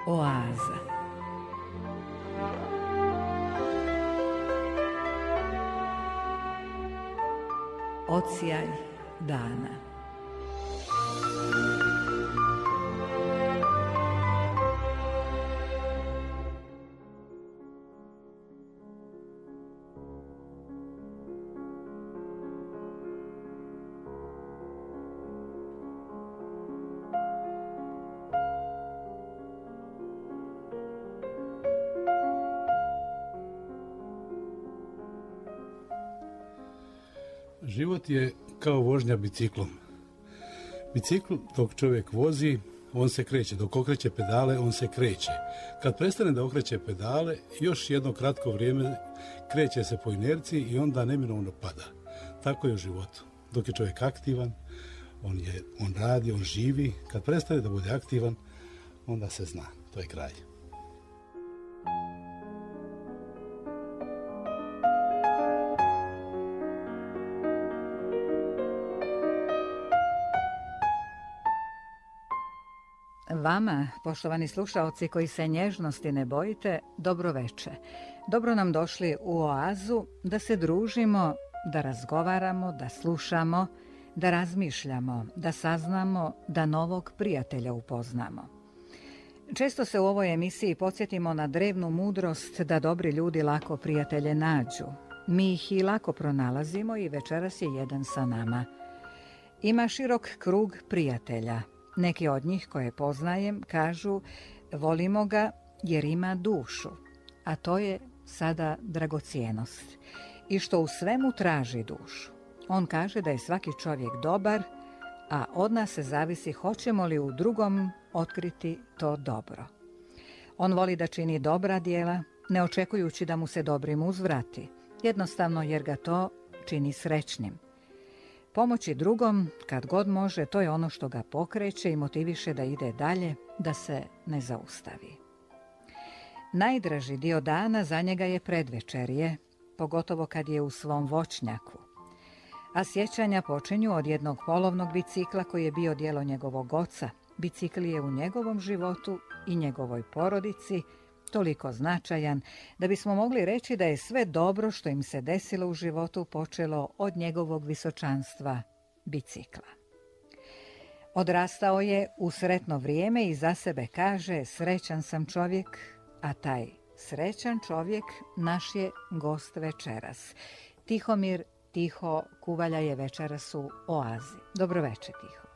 Oaza. Odsjaj dana. Život je kao vožnja biciklom. Bicikl dok čovjek vozi, on se kreće. Dok okreće pedale, on se kreće. Kad prestane da okreće pedale, još jedno kratko vrijeme kreće se po inerciji i onda neminovno pada. Tako je u životu. Dok je čovjek aktivan, on radi, on živi. Kad prestane da bude aktivan, onda se zna. To je kraj. Vama, poštovani slušaoci koji se nježnosti ne bojite, dobro veče. Dobro nam došli u Oazu da se družimo, da razgovaramo, da slušamo, da razmišljamo, da saznamo, da novog prijatelja upoznamo. Često se u ovoj emisiji podsjetimo na drevnu mudrost da dobri ljudi lako prijatelje nađu. Mi ih i lako pronalazimo i večeras je jedan sa nama. Ima širok krug prijatelja. Neki od njih koje poznajem kažu volimo ga jer ima dušu, a to je sada dragocjenost. I što u svemu traži dušu. On kaže da je svaki čovjek dobar, a od nas se zavisi hoćemo li u drugom otkriti to dobro. On voli da čini dobra djela, ne očekujući da mu se dobrim uzvrati, jednostavno jer ga to čini srećnim. Pomoći drugom, kad god može, to je ono što ga pokreće i motiviše da ide dalje, da se ne zaustavi. Najdraži dio dana za njega je predvečerje, pogotovo kad je u svom voćnjaku. A sjećanja počinju od jednog polovnog bicikla koji je bio djelo njegovog oca. Bicikl je u njegovom životu i njegovoj porodici toliko značajan da bismo mogli reći da je sve dobro što im se desilo u životu počelo od njegovog visočanstva bicikla. Odrastao je u sretno vrijeme i za sebe kaže srećan sam čovjek, a taj srećan čovjek naš je gost večeras. Tihomir Tiho Kuvalja je večeras u Oazi. Dobro večer, Tiho.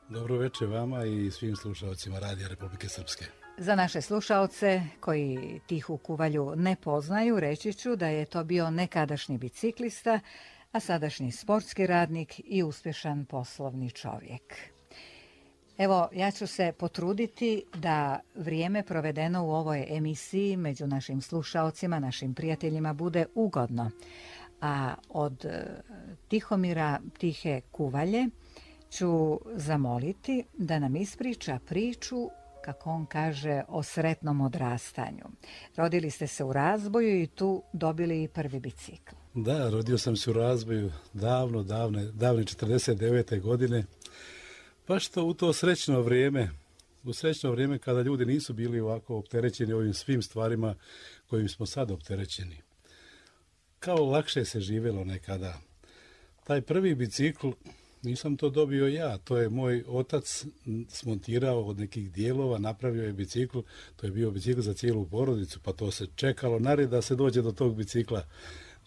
Dobro večer vama i svim slušalcima Radija Republike Srpske. Za naše slušaoce koji Tihu Kuvalju ne poznaju, reći ću da je to bio nekadašnji biciklista, a sadašnji sportski radnik i uspješan poslovni čovjek. Evo, ja ću se potruditi da vrijeme provedeno u ovoj emisiji među našim slušaocima, našim prijateljima bude ugodno. A od Tihomira Tihe Kuvalje ću zamoliti da nam ispriča priču, kako on kaže, o sretnom odrastanju. Rodili ste se u Razboju i tu dobili i prvi bicikl. Da, rodio sam se u Razboju davne 49. godine. Pa što u to srećno vrijeme kada ljudi nisu bili ovako opterećeni ovim svim stvarima kojim smo sad opterećeni. Kao lakše se živjelo nekada. Taj prvi bicikl nisam to dobio ja, to je moj otac smontirao od nekih dijelova, napravio je bicikl, to je bio bicikl za cijelu porodicu, pa to se čekalo na red da se dođe do tog bicikla,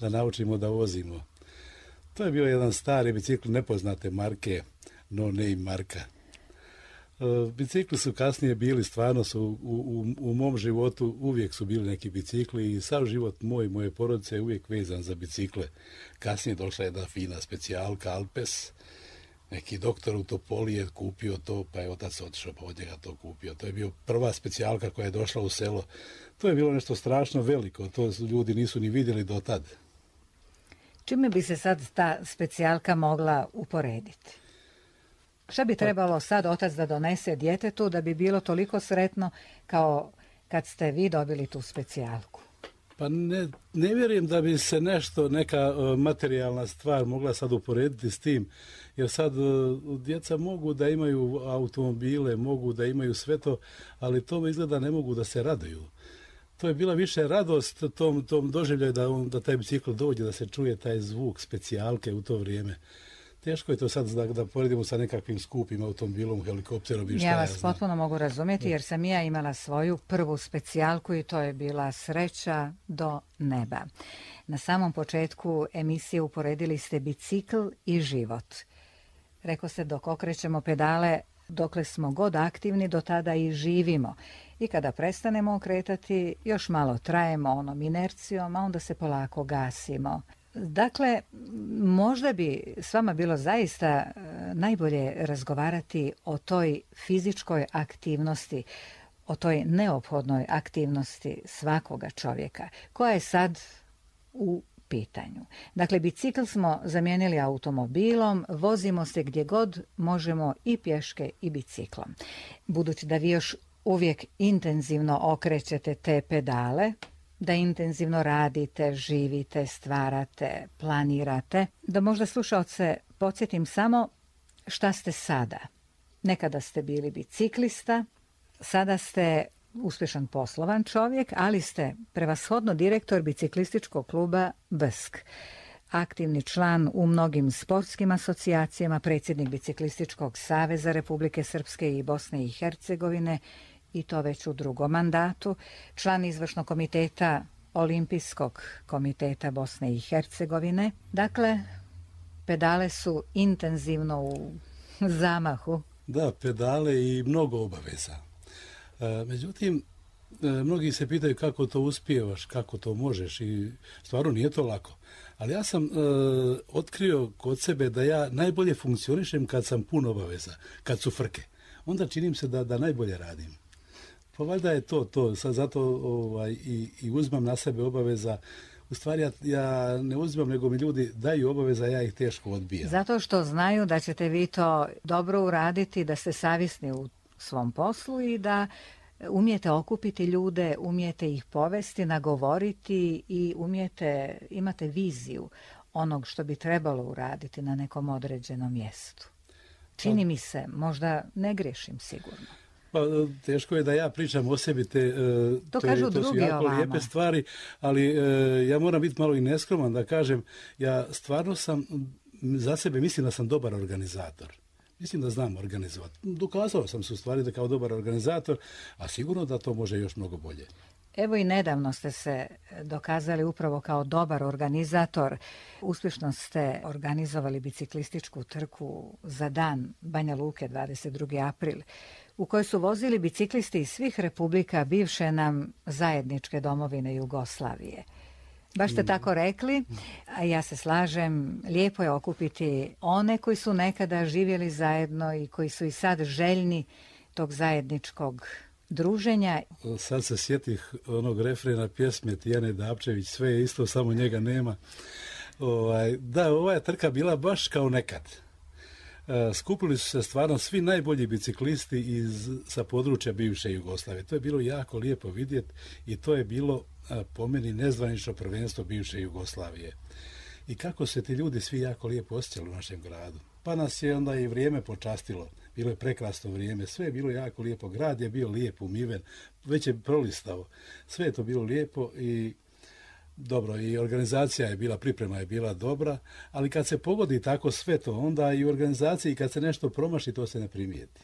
da naučimo da vozimo. To je bio jedan stari bicikl nepoznate marke, no name marka. Bicikli su kasnije bili, stvarno su u mom životu uvijek su bili neki bicikli i sav život moje porodice je uvijek vezan za bicikle. Kasnije došla jedna fina specijalka Alpes, neki doktor u Topoli je kupio to, pa je otac otišao pa od njega to kupio. To je bio prva specijalka koja je došla u selo. To je bilo nešto strašno veliko, to ljudi nisu ni vidjeli do tad. Čime bi se sad ta specijalka mogla uporediti? Šta bi trebalo sad otac da donese djetetu da bi bilo toliko sretno kao kad ste vi dobili tu specijalku? Pa ne vjerujem da bi se neka materijalna stvar mogla sad uporediti s tim, jer sad djeca mogu da imaju automobile, mogu da imaju sve to, ali to izgleda ne mogu da se raduju. To je bila više radost tom doživljaju da taj bicikl dođe, da se čuje taj zvuk specijalke u to vrijeme. Teško je to sad da poredimo sa nekakvim skupim automobilom, helikopterom i šta Ja ja vas znam. potpuno mogu razumjeti jer sam ja imala svoju prvu specijalku i to je bila sreća do neba. Na samom početku emisije uporedili ste bicikl i život. Rekao se dok okrećemo pedale, dokle smo god aktivni, do tada i živimo. I kada prestanemo okretati, još malo trajemo onom inercijom, a onda se polako gasimo. Dakle, možda bi s vama bilo zaista najbolje razgovarati o toj fizičkoj aktivnosti, o toj neophodnoj aktivnosti svakoga čovjeka, koja je sad u pitanju. Dakle, bicikl smo zamijenili automobilom, vozimo se gdje god možemo i pješke i biciklom. Budući da vi još uvijek intenzivno okrećete te pedale, da intenzivno radite, živite, stvarate, planirate, da možda slušaoce podsjetim samo šta ste sada. Nekada ste bili biciklista, sada ste uspješan poslovan čovjek, ali ste prevashodno direktor biciklističkog kluba BSK. Aktivni član u mnogim sportskim asocijacijama, predsjednik Biciklističkog saveza Republike Srpske i Bosne i Hercegovine, i to već u drugom mandatu, član izvršnog komiteta Olimpijskog komiteta Bosne i Hercegovine. Dakle, pedale su intenzivno u zamahu. Da, pedale i mnogo obaveza. Međutim, mnogi se pitaju kako to uspijevaš, kako to možeš i stvarno nije to lako. Ali ja sam otkrio kod sebe da ja najbolje funkcionišem kad sam pun obaveza, kad su frke. Onda činim se da najbolje radim. Pa valjda je to. Sad zato i uzmam na sebe obaveza. U stvari ja ne uzimam, nego mi ljudi daju obaveza, ja ih teško odbijam. Zato što znaju da ćete vi to dobro uraditi, da ste savjesni u svom poslu i da umijete okupiti ljude, umijete ih povesti, nagovoriti i imate viziju onog što bi trebalo uraditi na nekom određenom mjestu. Čini mi se, možda ne grešim sigurno. Pa, teško je da ja pričam o sebi, to su jako lijepe stvari, ali ja moram biti malo i neskroman da kažem, ja stvarno sam, za sebe mislim da sam dobar organizator. Mislim da znam organizovati. Dokazao sam se u stvari da kao dobar organizator, a sigurno da to može još mnogo bolje. Evo i nedavno ste se dokazali upravo kao dobar organizator. Uspješno ste organizovali biciklističku trku za dan Banja Luke 22. april, u kojoj su vozili biciklisti iz svih republika bivše nam zajedničke domovine Jugoslavije. Baš ste tako rekli, a ja se slažem, lijepo je okupiti one koji su nekada živjeli zajedno i koji su i sad željni tog zajedničkog druženja. Sad se sjetih onog refrena pjesme Tijane Dapčević, sve je isto, samo njega nema. Ova je trka bila baš kao nekad. Skupili su se stvarno svi najbolji biciklisti sa područja bivše Jugoslavije. To je bilo jako lijepo vidjeti i to je bilo po meni nezvanično prvenstvo bivše Jugoslavije. I kako se ti ljudi svi jako lijepo osjećali u našem gradu. Pa nas je onda i vrijeme počastilo. Bilo je prekrasno vrijeme, sve je bilo jako lijepo. Grad je bio lijep, umiven, već je prolistao. Sve je to bilo lijepo i dobro, i organizacija je bila, priprema je bila dobra, ali kad se pogodi tako sve to, onda i u organizaciji kad se nešto promaši, to se ne primijeti.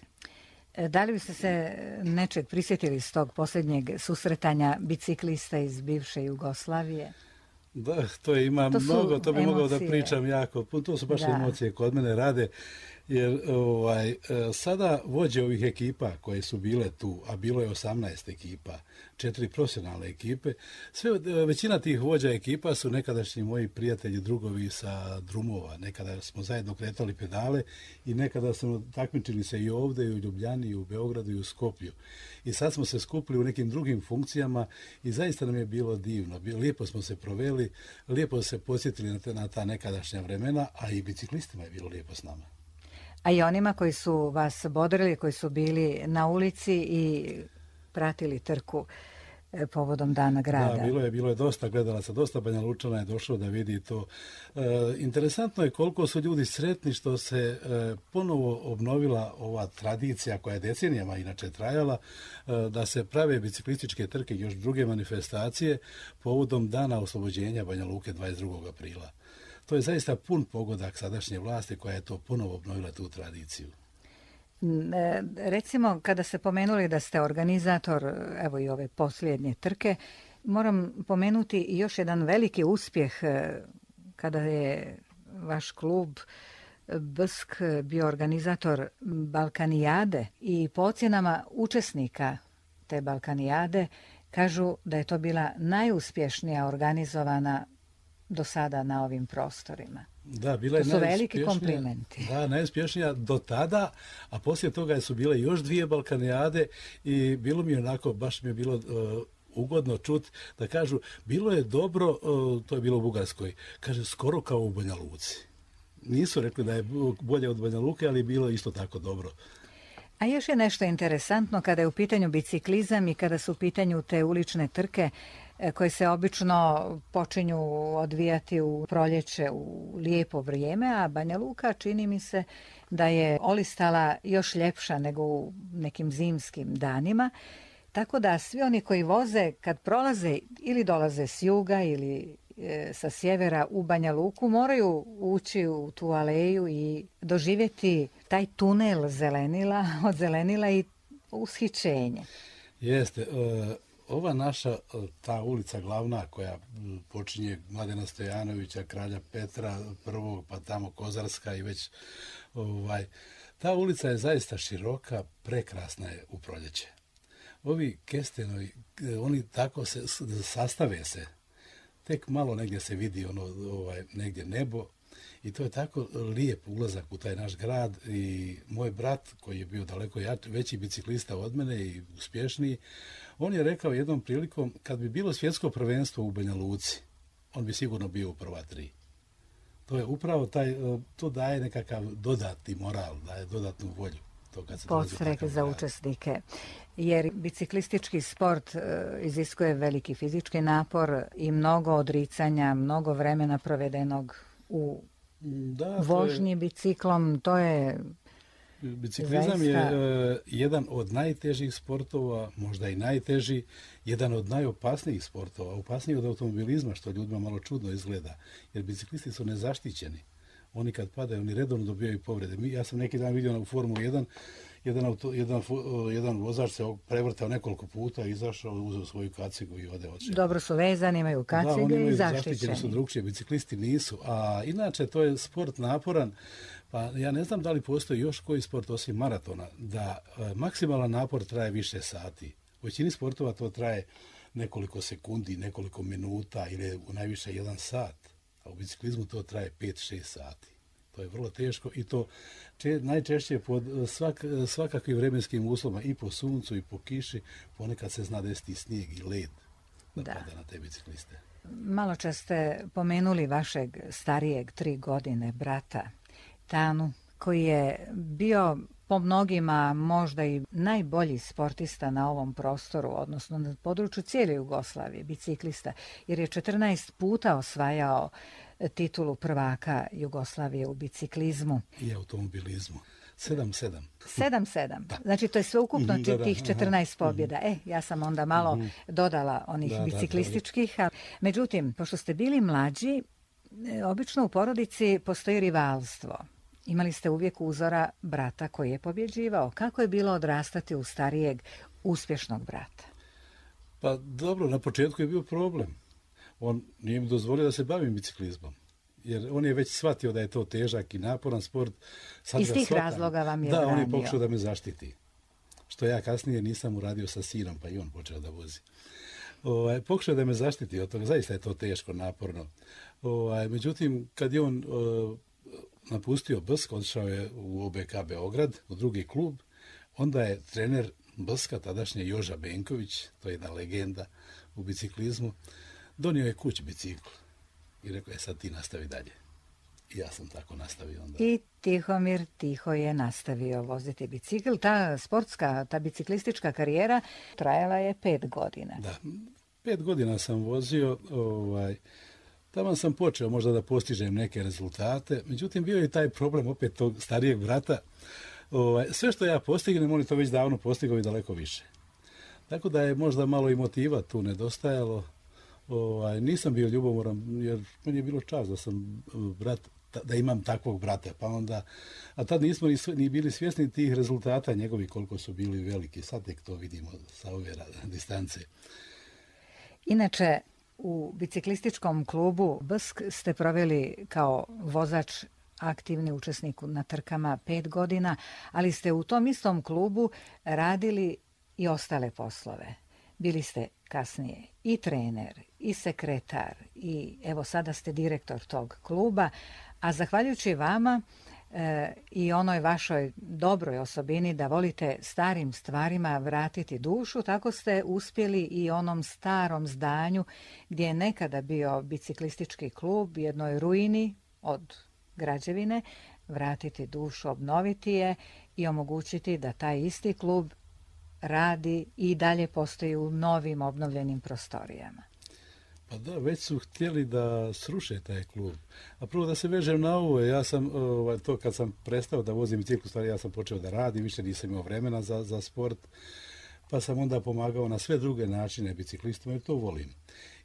Da li biste se nečeg prisjetili s tog posljednjeg susretanja biciklista iz bivše Jugoslavije? Da, to ima mnogo, to bi mogao da pričam jako. To su baš emocije kod mene rade, jer sada vođe ovih ekipa koje su bile tu, a bilo je 18 ekipa, 4 profesionalne ekipe, većina tih vođa ekipa su nekadašnji moji prijatelji, drugovi sa drumova. Nekada smo zajedno kretali pedale i nekada smo takmičili se i ovdje, i u Ljubljani, i u Beogradu, i u Skoplju. I sad smo se skupili u nekim drugim funkcijama i zaista nam je bilo divno. Lijepo smo se proveli, lijepo se posjetili na ta nekadašnja vremena, a i biciklistima je bilo lijepo s nama. A i onima koji su vas bodrili, koji su bili na ulici i pratili trku, povodom Dana grada. Da, bilo je dosta gledalaca, dosta Banja Lučana je došlo da vidi to. Interesantno je koliko su ljudi sretni što se ponovo obnovila ova tradicija koja je decenijama inače trajala, da se prave biciklističke trke i još druge manifestacije povodom Dana oslobođenja Banja Luke 22. aprila. To je zaista pun pogodak sadašnje vlasti koja je to ponovo obnovila tu tradiciju. Recimo, kada ste pomenuli da ste organizator, evo i ove posljednje trke, moram pomenuti i još jedan veliki uspjeh kada je vaš klub BSK bio organizator Balkanijade i po ocjenama učesnika te Balkanijade kažu da je to bila najuspješnija organizovana do sada na ovim prostorima. Da, bila je to su veliki komplimenti. Da, najuspješnija do tada, a poslije toga su bile još 2 Balkanijade i bilo mi onako, baš mi je bilo ugodno čut da kažu, bilo je dobro, to je bilo u Bugarskoj, kaže skoro kao u Banja Luci. Nisu rekli da je bolje od Banja Luke, ali je bilo isto tako dobro. A još je nešto interesantno kada je u pitanju biciklizam i kada su u pitanju te ulične trke koje se obično počinju odvijati u proljeće u lijepo vrijeme, a Banja Luka čini mi se da je olistala još ljepša nego u nekim zimskim danima. Tako da svi oni koji voze kad prolaze ili dolaze s juga ili sa sjevera u Banja Luku moraju ući u tu aleju i doživjeti taj tunel zelenila, od zelenila i ushićenje. Jeste. Ova naša, ta ulica glavna koja počinje Mladena Stojanovića, Kralja Petra I, pa tamo Kozarska i već ta ulica je zaista široka, prekrasna je u proljeće. Ovi kestenovi, oni tako se sastave se. Tek malo negdje se vidi negdje nebo i to je tako lijep ulazak u taj naš grad i moj brat koji je bio daleko veći biciklista od mene i uspješniji, on je rekao jednom prilikom kad bi bilo svjetsko prvenstvo u Banja Luci, on bi sigurno bio u prva 3. To je upravo to daje nekakav dodatni moral, daje dodatnu volju. Podstrek za učesnike, jer biciklistički sport iziskuje veliki fizički napor i mnogo odricanja, mnogo vremena provedenog u vožnji biciklom, to je biciklizam zaista je jedan od najtežih sportova, možda i najteži, jedan od najopasnijih sportova, opasniji od automobilizma, što ljudima malo čudno izgleda, jer biciklisti su nezaštićeni. Oni kad padaju, oni redovno dobijaju povrede. Ja sam neki dan vidio u Formulu 1, jedan vozač se prevrtao nekoliko puta, izašao, uzeo svoju kacigu i ode odšao. Dobro su vezani, imaju kacige i zaštićeni. Su drugčije, biciklisti nisu. A inače, to je sport naporan. Pa ja ne znam da li postoji još koji sport osim maratona, da maksimalan napor traje više sati. U većini sportova to traje nekoliko sekundi, nekoliko minuta ili u najviše 1 sat. A u biciklizmu to traje 5-6 sati. To je vrlo teško i to najčešće pod svakakvim vremenskim uslovima, i po suncu i po kiši, ponekad se zna desiti snijeg i led da pada na te bicikliste. Malo čas ste pomenuli vašeg starijeg 3 godine brata Tanu, koji je bio po mnogima možda i najbolji sportista na ovom prostoru, odnosno na području cijele Jugoslavije, biciklista, jer je 14 puta osvajao titulu prvaka Jugoslavije u biciklizmu. I automobilizmu. 7-7. 7-7. Znači to je sveukupno tih 14 pobjeda. Ja sam onda malo dodala onih biciklističkih. Međutim, pošto ste bili mlađi, obično u porodici postoji rivalstvo. Imali ste uvijek uzora brata koji je pobjeđivao. Kako je bilo odrastati u starijeg, uspješnog brata? Pa dobro, na početku je bio problem. On nije mi dozvolio da se bavim biciklizmom. Jer on je već shvatio da je to težak i naporan sport. Iz tih razloga vam je branio. Da, on je pokušao da me zaštiti. Što ja kasnije nisam uradio sa sinom, pa i on počeo da vozi. Pokušao da me zaštiti od toga. Zaista je to teško, naporno. Međutim, kad je on napustio BSK, odšao je u OBK Beograd, u drugi klub, onda je trener BSK-a, tadašnje Joža Benković, to je jedna legenda u biciklizmu, donio je kući bicikl i rekao je sad ti nastavi dalje. i ja sam tako nastavio onda. I Tihomir tiho je nastavio voziti bicikl. Ta sportska, ta biciklistička karijera trajala je 5 godina. Da, 5 godina sam vozio, tamo sam počeo možda da postižem neke rezultate, međutim bio je taj problem opet tog starijeg brata. Sve što ja postignem, on je to već davno postigao i daleko više. Tako da je možda malo i motiva tu nedostajalo. Nisam bio ljubomoran jer meni je bilo čast da sam brat, da imam takvog brata, pa onda, a tad nismo ni bili svjesni tih rezultata njegovi koliko su bili veliki, sad tek to vidimo sa ove distance. Inače, u biciklističkom klubu BSK ste proveli kao vozač aktivni učesnik na trkama 5 godina, ali ste u tom istom klubu radili i ostale poslove. Bili ste kasnije i trener, i sekretar, i evo sada ste direktor tog kluba, a zahvaljujući vama i onoj vašoj dobroj osobini da volite starim stvarima vratiti dušu, tako ste uspjeli i onom starom zdanju gdje je nekada bio biciklistički klub, jednoj ruini od građevine, vratiti dušu, obnoviti je i omogućiti da taj isti klub radi i dalje postoji u novim obnovljenim prostorijama. Pa da, već su htjeli da sruše taj klub. A prvo da se vežem na ovo, ja sam, to kad sam prestao da vozim bicikl, stvari ja sam počeo da radim, više nisam imao vremena za sport, pa sam onda pomagao na sve druge načine biciklistima jer to volim.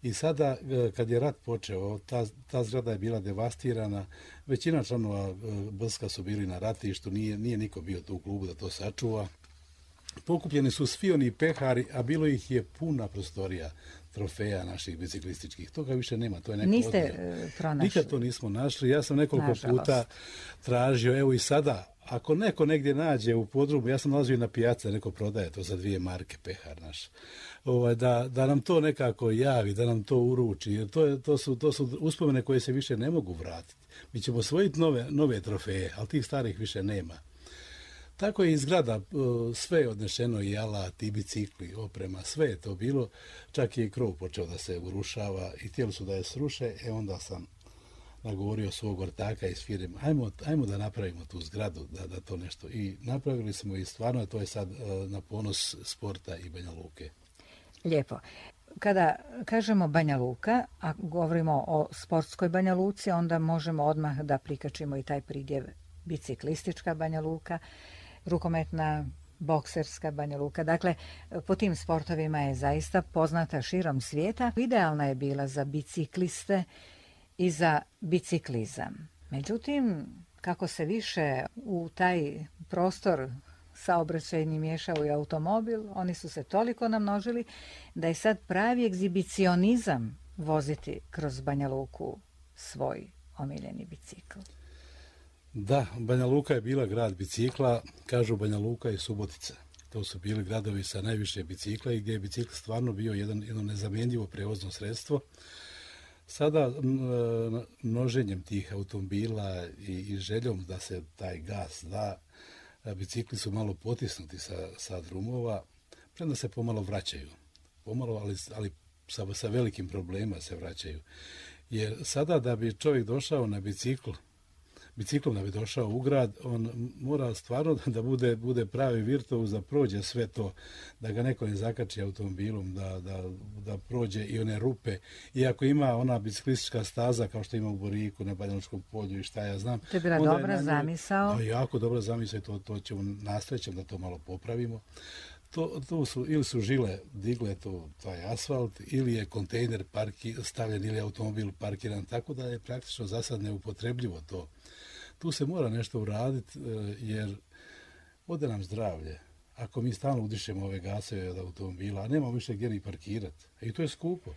I sada, kad je rat počeo, ta zgrada je bila devastirana, većina članova BSK-a su bili na ratištu, nije niko bio tu u klubu da to sačuva. Pokupljeni su svi oni pehari, a bilo ih je puna prostorija trofeja naših biciklističkih. Toga više nema, to je neko Niste pronašli? Nikad to nismo našli. Ja sam nekoliko puta tražio, evo i sada, ako neko negdje nađe u podrumu, ja sam nalazio i na pijaci, neko prodaje to za 2 marke, pehar naš, da nam to nekako javi, da nam to uruči, jer to su uspomene koje se više ne mogu vratiti. Mi ćemo osvojiti nove trofeje, ali tih starih više nema. Tako je i zgrada, sve je odnešeno, i alat, i bicikli, oprema, sve je to bilo, čak je i krov počeo da se urušava i htjeli su da je sruše, onda sam nagovorio svog ortaka iz firme, ajmo da napravimo tu zgradu, da to nešto, i napravili smo i stvarno to je sad na ponos sporta i Banja Luke. Lijepo. Kada kažemo Banja Luka, a govorimo o sportskoj Banja Luci, onda možemo odmah da prikačimo i taj pridjev biciklistička Banja Luka, rukometna, bokserska Banja Luka. Dakle, po tim sportovima je zaista poznata širom svijeta. Idealna je bila za bicikliste i za biciklizam. Međutim, kako se više u taj prostor saobraćajni miješao i automobil, oni su se toliko namnožili da je sad pravi egzibicionizam voziti kroz Banja Luku svoj omiljeni bicikl. Da, Banja Luka je bila grad bicikla, kažu Banja Luka i Subotica. To su bili gradovi sa najviše bicikla i gdje je bicikl stvarno bio jedno nezamjenjivo prevozno sredstvo. Sada množenjem tih automobila i željom da se taj gas da, bicikli su malo potisnuti sa drumova, premda se pomalo vraćaju. Pomalo, ali sa velikim problemima se vraćaju. Jer sada da bi čovjek došao na biciklom da bi došao u grad, on mora stvarno da bude pravi virtuoz, da prođe sve to, da ga neko ne zakači automobilom, da prođe i one rupe. Iako ima ona biciklistička staza kao što ima u Boriku, na Banjalučkom polju i šta ja znam. To je bila dobra zamisao. Jako dobra zamisao i to ćemo nastaviti da to malo popravimo. Ili su žile digle taj asfalt, ili je kontejner stavljen, ili automobil parkiran, tako da je praktično za sad neupotrebljivo to. Tu se mora nešto uraditi jer ode nam zdravlje. Ako mi stalno udišemo ove gasove od automobila, a nemamo više gdje ni parkirati. I to je skupo.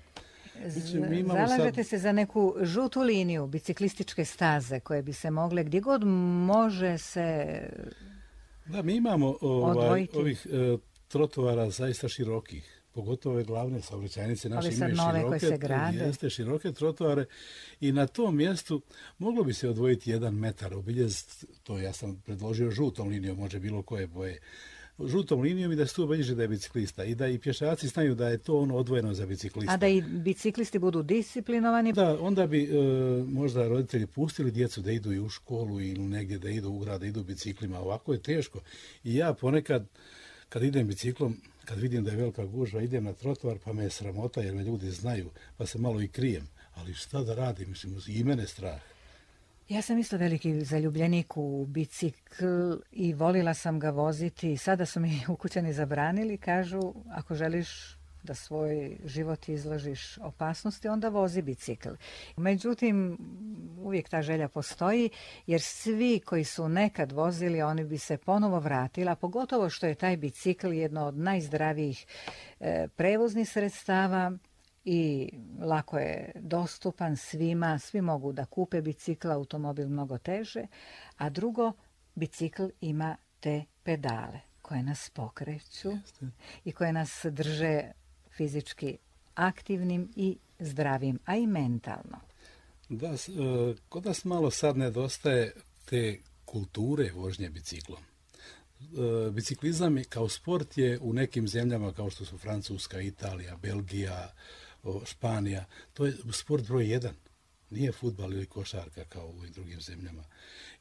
Zalažete se za neku žutu liniju biciklističke staze koje bi se mogle gdje god može se Da, mi imamo odvojiti. ovih trotoara zaista širokih. Pogotovo ove glavne saobraćajnice naše imaju široke trotoare i na tom mjestu moglo bi se odvojiti 1 metar, obiljeziti to. Ja sam predložio žutom linijom, može bilo koje boje, žutom linijom i da se tu obilježi da je biciklista i da i pješaci znaju da je to ono odvojeno za biciklista. A da i biciklisti budu disciplinovani? Da, onda bi možda roditelji pustili djecu da idu i u školu ili negdje da idu u grad, da idu biciklima. Ovako je teško. I ja ponekad, kad idem biciklom, kad vidim da je velika gužva, idem na trotoar pa me je sramota jer me ljudi znaju, pa se malo i krijem. Ali šta da radim, mislim, i mene strah. Ja sam isto veliki zaljubljenik u bicikl i volila sam ga voziti. Sada su mi ukućani zabranili, kažu ako želiš da svoj život izložiš opasnosti, onda vozi bicikl. Međutim, uvijek ta želja postoji, jer svi koji su nekad vozili, oni bi se ponovo vratili, a pogotovo što je taj bicikl jedno od najzdravijih prevoznih sredstava i lako je dostupan svima, svi mogu da kupe bicikl, automobil mnogo teže, a drugo, bicikl ima te pedale koje nas pokreću i koje nas drže fizički aktivnim i zdravim, a i mentalno. Da, kod nas malo sad nedostaje te kulture vožnje biciklom. Biciklizam kao sport je u nekim zemljama kao što su Francuska, Italija, Belgija, Španija, to je sport broj 1. Nije fudbal ili košarka kao u drugim zemljama.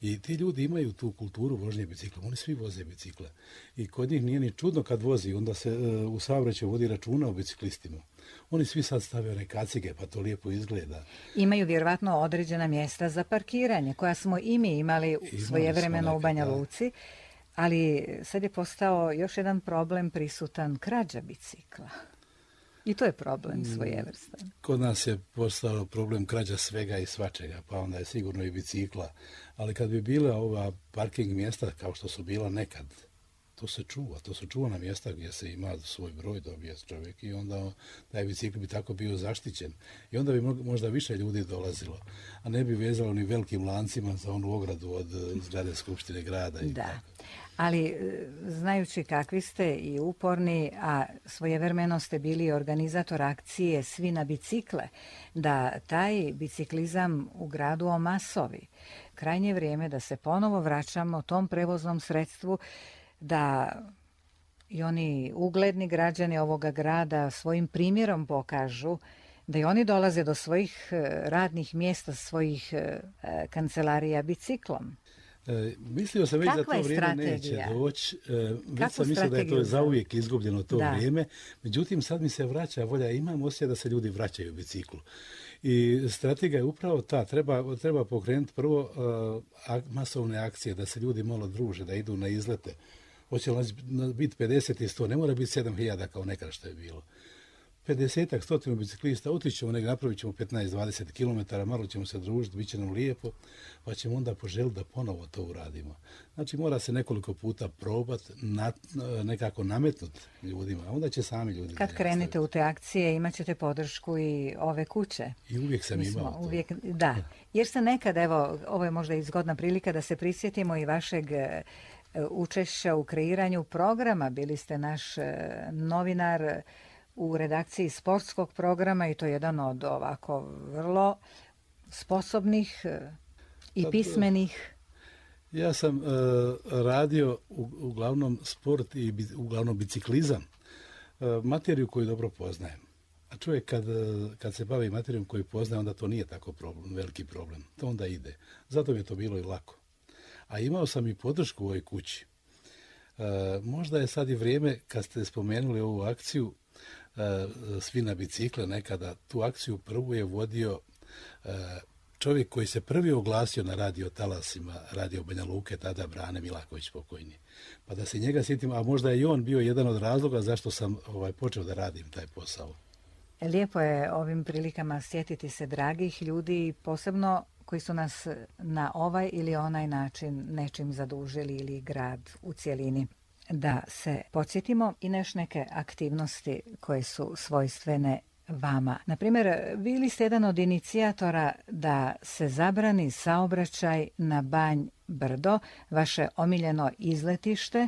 I ti ljudi imaju tu kulturu vožnje biciklom. Oni svi voze bicikle. I kod njih nije ni čudno kad vozi. Onda se u saobraćaju vodi računa o biciklistima. Oni svi sad stave one kacige, pa to lijepo izgleda. Imaju vjerovatno određena mjesta za parkiranje, koja smo i mi imali svojevremeno u Banja Luci. Ali sad je postao još jedan problem prisutan, krađa bicikla. I to je problem svojevrstan. Kod nas je postao problem krađa svega i svačega, pa onda je sigurno i bicikla. Ali kad bi bila ova parking mjesta kao što su bila nekad, to se čuva. To su čuvana mjesta gdje se ima svoj broj, dobije čovjek i onda taj bicikl bi tako bio zaštićen. I onda bi možda više ljudi dolazilo, a ne bi vezalo ni velikim lancima za onu ogradu od zgrade Skupštine grada. I tako. Ali znajući kakvi ste i uporni, a svojevremeno ste bili organizator akcije Svi na bicikle, da taj biciklizam u gradu omasovi. Krajnje vrijeme da se ponovo vraćamo tom prevoznom sredstvu, da i oni ugledni građani ovoga grada svojim primjerom pokažu da i oni dolaze do svojih radnih mjesta, svojih kancelarija biciklom. Mislio sam već da to vrijeme neće doći, već sam mislio da je to zauvijek izgubljeno to vrijeme, međutim sad mi se vraća volja, imam osjećaj da se ljudi vraćaju u biciklu. I strategija je upravo ta, treba pokrenuti prvo masovne akcije, da se ljudi malo druže, da idu na izlete. Hoće li biti 50 i 100, ne mora biti 7000 kao nekada što je bilo. 50-ak, 100 biciklista, otićemo negdje, napravit ćemo 15-20 km, malo ćemo se družiti, bit će nam lijepo, pa ćemo onda poželiti da ponovo to uradimo. Znači mora se nekoliko puta probati, nekako nametnuti ljudima, a onda će sami ljudi. Kad krenete u te akcije imat ćete podršku i ove kuće. I uvijek sam imao to. Da, jer se nekad, evo, ovo je možda i zgodna prilika da se prisjetimo i vašeg učešća u kreiranju programa. Bili ste naš novinar u redakciji sportskog programa i to je jedan od ovako vrlo sposobnih i pismenih. Ja sam radio uglavnom sport i uglavnom biciklizam, materiju koju dobro poznajem. A čovjek kad se bavi materijom koju poznaje, onda to nije tako veliki problem. To onda ide. Zato mi je to bilo i lako. A imao sam i podršku u ovoj kući. Možda je sad i vrijeme, kad ste spomenuli ovu akciju, Svi na bicikle, nekada tu akciju prvu je vodio čovjek koji se prvi oglasio na radio talasima, radio Banja Luke, tada Brane Milaković pokojni. Pa da se njega sjetim, a možda je i on bio jedan od razloga zašto sam počeo da radim taj posao. Lijepo je ovim prilikama sjetiti se dragih ljudi, posebno koji su nas na ovaj ili onaj način nečim zadužili ili grad u cjelini. Da se podsjetimo i neke aktivnosti koje su svojstvene vama. Naprimjer, bili ste jedan od inicijatora da se zabrani saobraćaj na Banj Brdo, vaše omiljeno izletište,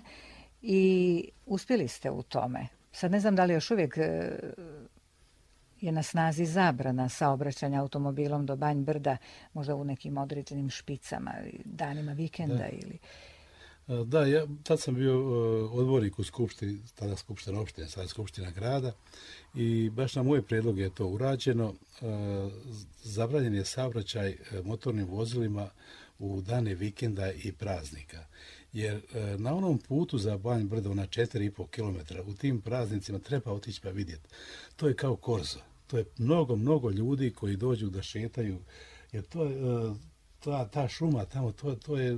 i uspjeli ste u tome. Sad ne znam da li još uvijek je na snazi zabrana saobraćanja automobilom do Banj Brda, možda u nekim određenim špicama, danima vikenda ili... Da, ja tad sam bio odbornik u skupštini, tada skupština opštine, sada skupština grada i baš na moj prijedlog je to urađeno. Zabranjen je saobraćaj motornim vozilima u dane vikenda i praznika. Jer na onom putu za Banj Brdo na 4,5 km u tim praznicima treba otići pa vidjeti. To je kao korzo. To je mnogo ljudi koji dođu da šetaju. Jer to je, ta šuma tamo,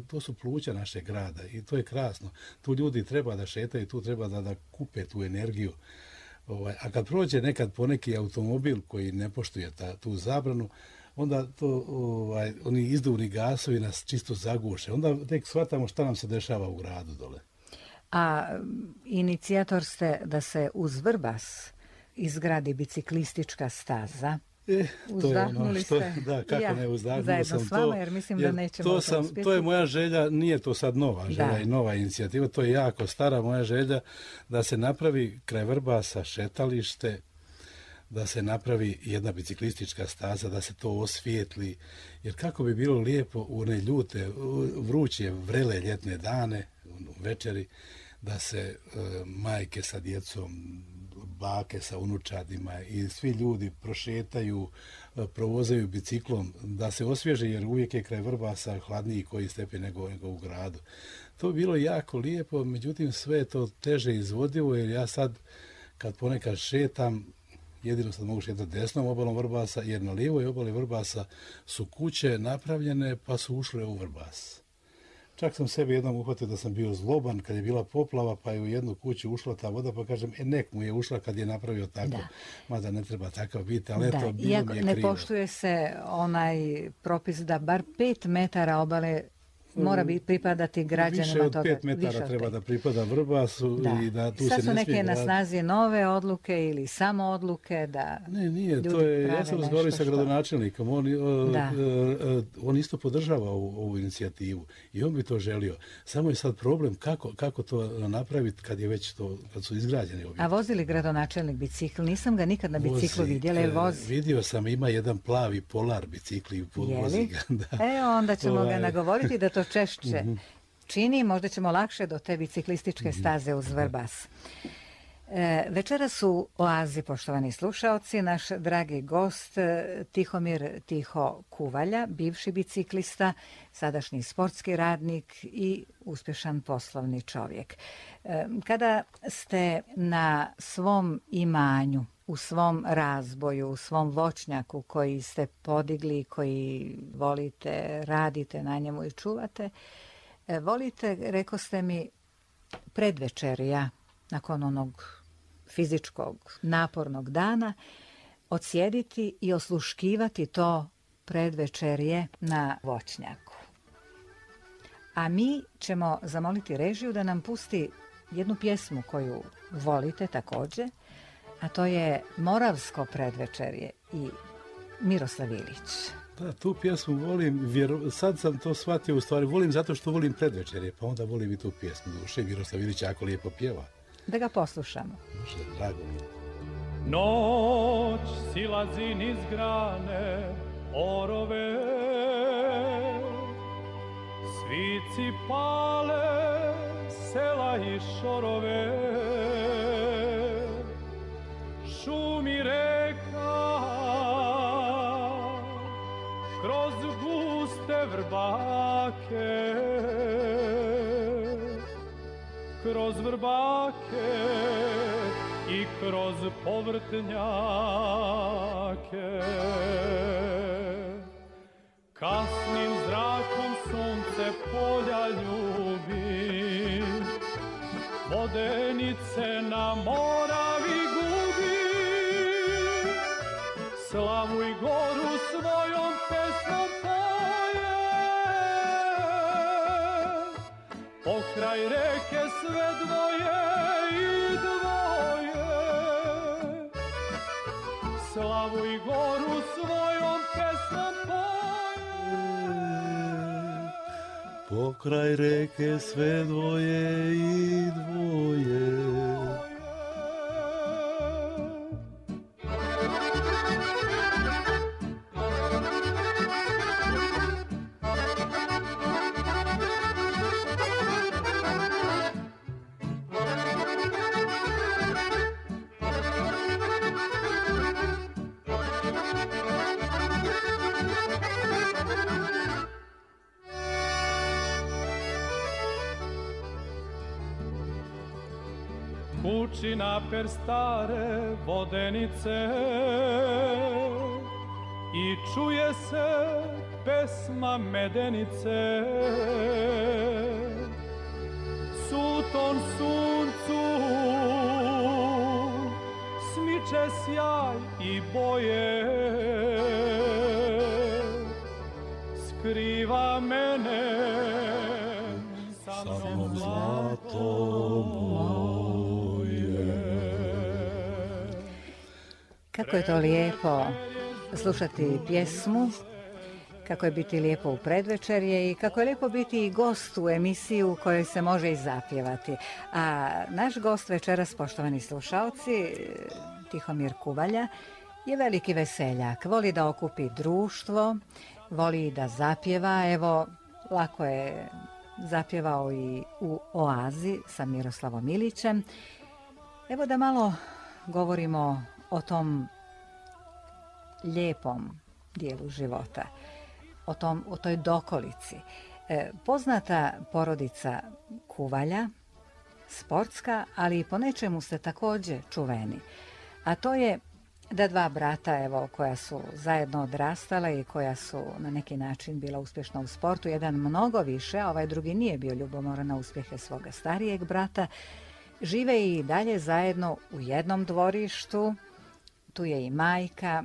to su pluća našeg grada i to je krasno. Tu ljudi treba da šetaju, tu treba da kupe tu energiju. A kad prođe nekad poneki automobil koji ne poštuje tu zabranu, onda oni izduvni gasovi nas čisto zaguše. Onda tek shvatamo šta nam se dešava u gradu dole. A inicijator ste da se uz Vrbas izgradi biciklistička staza. Uzdahnuli ste. Da, kako ne, uzdahnuo zajedno sam s vama, to. jer mislim da nećemo uspjeti. To je moja želja, nije to sad nova želja i nova inicijativa, to je jako stara moja želja da se napravi kraj Vrbasa šetalište, da se napravi jedna biciklistička staza, da se to osvijetli, jer kako bi bilo lijepo u one ljute, vruće, vrele ljetne dane, večeri, da se majke sa djecom, bake sa unučadima i svi ljudi prošetaju, provozaju biciklom, da se osvježe, jer uvijek je kraj Vrbasa hladniji koji stepen nego u gradu. To bi bilo jako lijepo, međutim sve je to teže izvodivo, jer ja sad kad ponekad šetam, jedino sad mogu šetati desnom obalom Vrbasa, jer na lijevoj obali Vrbasa su kuće napravljene pa su ušle u Vrbas. Čak sam sebi jednom uhvatio da sam bio zloban kad je bila poplava, pa je u jednu kuću ušla ta voda, pa kažem, nek mu je ušla kad je napravio tako, mada ne treba takav biti, ali eto, bilo mi je krivo. Ne poštuje se onaj propis da bar 5 metara obale mora pripadati građanima toga. Više od 5 metara treba da pripada Vrbasu i da tu se ne smije graditi. Sad su neke na snazi nove odluke ili samo odluke da nije, to je, ja sam razgovarao sa gradonačelnikom, on isto podržava ovu inicijativu i on bi to želio. Samo je sad problem kako to napraviti kad je već to, kad su izgrađeni objekti. A vozi li gradonačelnik bicikl? Nisam ga nikad na biciklu vidjela, jer vozi. Vidio sam, ima jedan plavi Polar bicikl i vozi ga. Onda ćemo ga nagovoriti da to češće čini, možda ćemo lakše do te biciklističke staze uz Vrbas. Večeras u Oazi, poštovani slušaoci, naš dragi gost Tihomir Tiho Kuvalja, bivši biciklista, sadašnji sportski radnik i uspješan poslovni čovjek. Kada ste na svom imanju, u svom razboju, u svom voćnjaku koji ste podigli, koji volite, radite na njemu i čuvate, volite, rekoste mi, predvečerja, nakon onog fizičkog, napornog dana, odsjediti i osluškivati to predvečerje na voćnjaku. A mi ćemo zamoliti režiju da nam pusti jednu pjesmu koju volite također, a to je Moravsko predvečerje i Miroslav Ilić. Da, tu pjesmu volim, sad sam to shvatio, u stvari volim zato što volim predvečerje, pa onda volim i tu pjesmu. Duše, Miroslav Ilić jako lijepo pjeva. Da ga poslušamo. Duše, drago mi. Noć silazi niz grane orove, svici pale sela i šorove, šumi reka kroz guste vrbake, kroz vrbake i kroz povrtnjake. Kasnim zrakom sunce polja ljubi, vodenice na Moravi gubi. Slavu i goru svojom pesmom poje, pokraj reke sve dvoje i dvoje. Slavu i goru svojom pesmom poje, pokraj reke sve dvoje i dvoje. Vuči naper stare vodenice i čuje se pesma medenice. Suton suncu smiče sjaj i boje, skriva mene sa mnom zlato moje. Kako je to lijepo slušati pjesmu, kako je biti lijepo u predvečerje i kako je lijepo biti i gost u emisiju u kojoj se može i zapjevati. A naš gost večeras, poštovani slušalci, Tihomir Kuvalja, je veliki veseljak. Voli da okupi društvo, voli da zapjeva. Evo, lako je zapjevao i u Oazi sa Miroslavom Ilićem. Evo da malo govorimo o tom lijepom dijelu života, o toj dokolici. Poznata porodica Kuvalja, sportska, ali i po nečemu ste također čuveni. A to je da dva brata, evo, koja su zajedno odrastala i koja su na neki način bila uspješna u sportu, jedan mnogo više, a ovaj drugi nije bio ljubomoran na uspjehe svoga starijeg brata, žive i dalje zajedno u jednom dvorištu. Tu je i majka.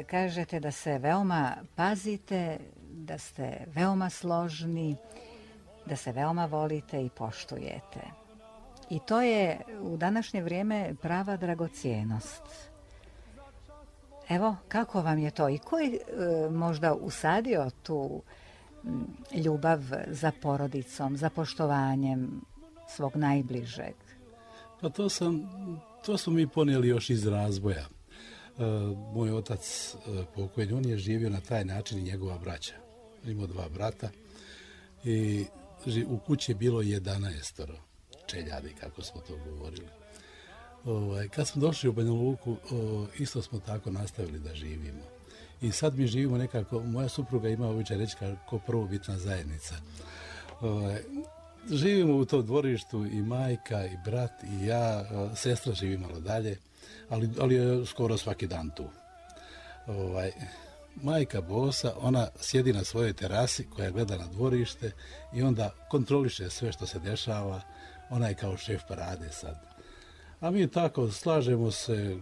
Kažete da se veoma pazite, da ste veoma složni, da se veoma volite i poštujete. I to je u današnje vrijeme prava dragocjenost. Evo, kako vam je to i ko je možda usadio tu ljubav za porodicom, za poštovanjem svog najbližeg? Pa to smo mi ponijeli još iz razvoja. Moj otac pokojni, on je živio na taj način i njegova braća. Imao dva brata i u kući je bilo 11 čeljadi, kako smo to govorili. Kad smo došli u Banja Luku, isto smo tako nastavili da živimo. I sad mi živimo nekako, moja supruga ima običaj reći kao prvobitna zajednica. Živimo u tom dvorištu i majka, i brat, i ja, sestra živi malo dalje, ali je skoro svaki dan tu. Majka bosa, ona sjedi na svojoj terasi koja gleda na dvorište i onda kontroliše sve što se dešava. Ona je kao šef parade sad. A mi tako slažemo se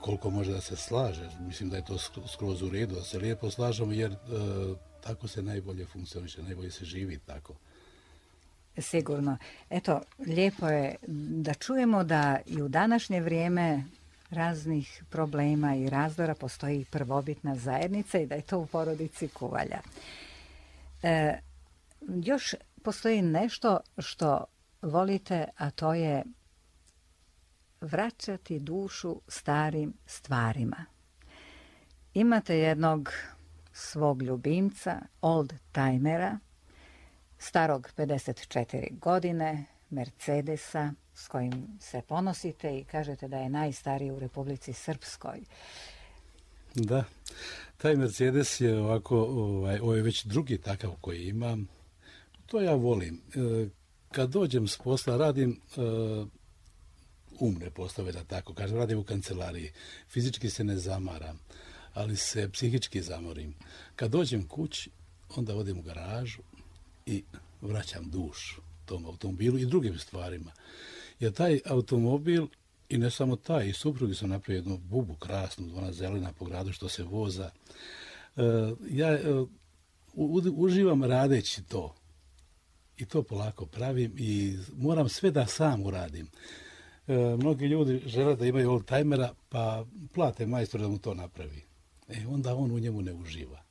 koliko može da se slaže. Mislim da je to skroz u redu, da se lijepo slažemo jer tako se najbolje funkcioniše, najbolje se živi tako. Sigurno. Eto, lijepo je da čujemo da i u današnje vrijeme raznih problema i razdora postoji prvobitna zajednica i da je to u porodici Kuvalja. Još postoji nešto što volite, a to je vraćati dušu starim stvarima. Imate jednog svog ljubimca, old timera, starog 54 godine, Mercedesa, s kojim se ponosite i kažete da je najstariji u Republici Srpskoj. Da, taj Mercedes je ovako, ovo je već drugi takav koji imam. To ja volim. Kad dođem s posla, radim umne poslove, da tako kažem, radim u kancelariji. Fizički se ne zamaram, ali se psihički zamorim. Kad dođem kući, onda odem u garažu i vraćam dušu tom automobilu i drugim stvarima. Jer taj automobil, i ne samo taj, i suprugi sam napravio jednu bubu krasnu, ona zelena po gradu što se voza. Ja uživam radeći to. I to polako pravim i moram sve da sam uradim. Mnogi ljudi žele da imaju oldtimera, pa plate majstor da mu to napravi. Onda on u njemu ne uživa.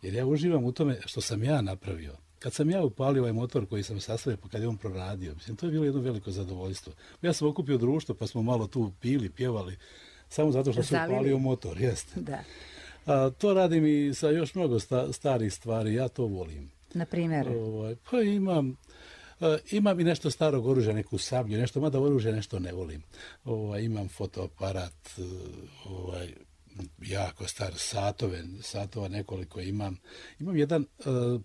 Jer ja uživam u tome što sam ja napravio. Kad sam ja upalio ovaj motor koji sam sastavio, pa kad je on proradio, mislim, to je bilo jedno veliko zadovoljstvo. Ja sam okupio društvo, pa smo malo tu pili, pjevali, samo zato što sam upalio motor, jeste. Da. To radim i sa još mnogo starih stvari, ja to volim. Na primjer? Pa imam i nešto starog oružja, neku sablju, nešto, mada oružje nešto ne volim. Imam fotoaparat, jako star, satova nekoliko imam. Imam jedan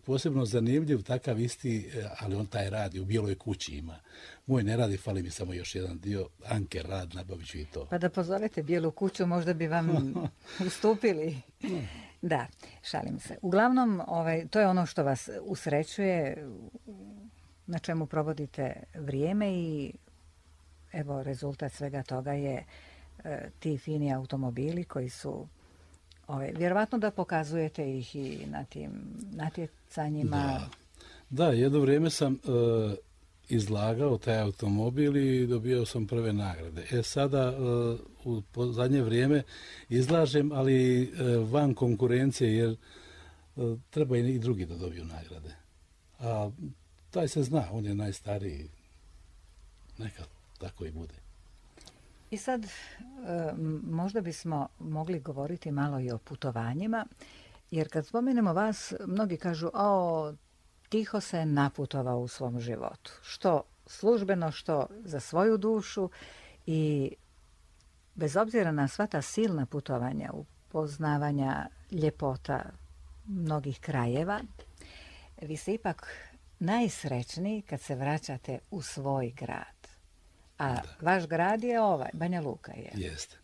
posebno zanimljiv takav isti, ali on taj radi, u Bijeloj kući ima. Moj ne radi, fali mi samo još jedan dio, Anke rad, nabavit ću i to. Pa da pozovete Bijelu kuću, možda bi vam ustupili. Da, šalim se. Uglavnom, to je ono što vas usrećuje, na čemu provodite vrijeme i evo rezultat svega toga je ti fini automobili koji su, vjerovatno da pokazujete ih i na tim natjecanjima. Da, jedno vrijeme sam izlagao taj automobil i dobio sam prve nagrade. Sada u zadnje vrijeme izlažem, ali van konkurencije, jer treba i drugi da dobiju nagrade. A taj se zna, on je najstariji, neka tako i bude. I sad možda bismo mogli govoriti malo i o putovanjima, jer kad spomenemo vas, mnogi kažu, tiho se naputovao u svom životu. Što službeno, što za svoju dušu i bez obzira na sva ta silna putovanja, upoznavanja ljepota mnogih krajeva, vi ste ipak najsrećniji kad se vraćate u svoj grad. A vaš grad je Banja Luka je. Jeste.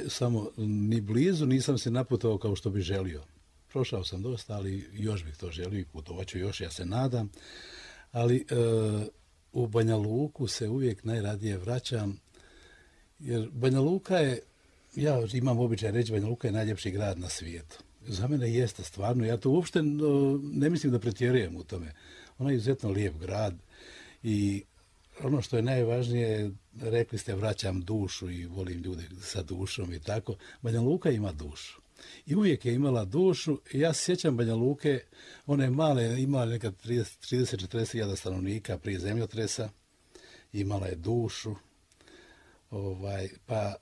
Samo ni blizu nisam se naputovao kao što bi želio. Prošao sam dosta, ali još bih to želio i putovat ću još, ja se nadam. Ali u Banja Luku se uvijek najradije vraćam, jer Banja Luka je, ja imam običaj reći, Banja Luka je najljepši grad na svijetu. Za mene jeste stvarno, ja to uopšte ne mislim da pretjerujem u tome. Ona je izuzetno lijep grad i ono što je najvažnije, rekli ste, vraćam dušu i volim ljude sa dušom i tako. Banja Luka ima dušu. I uvijek je imala dušu. Ja se sjećam Banja Luke, one male, imala nekad 30-40 hiljada stanovnika prije zemljotresa. Imala je dušu. Pa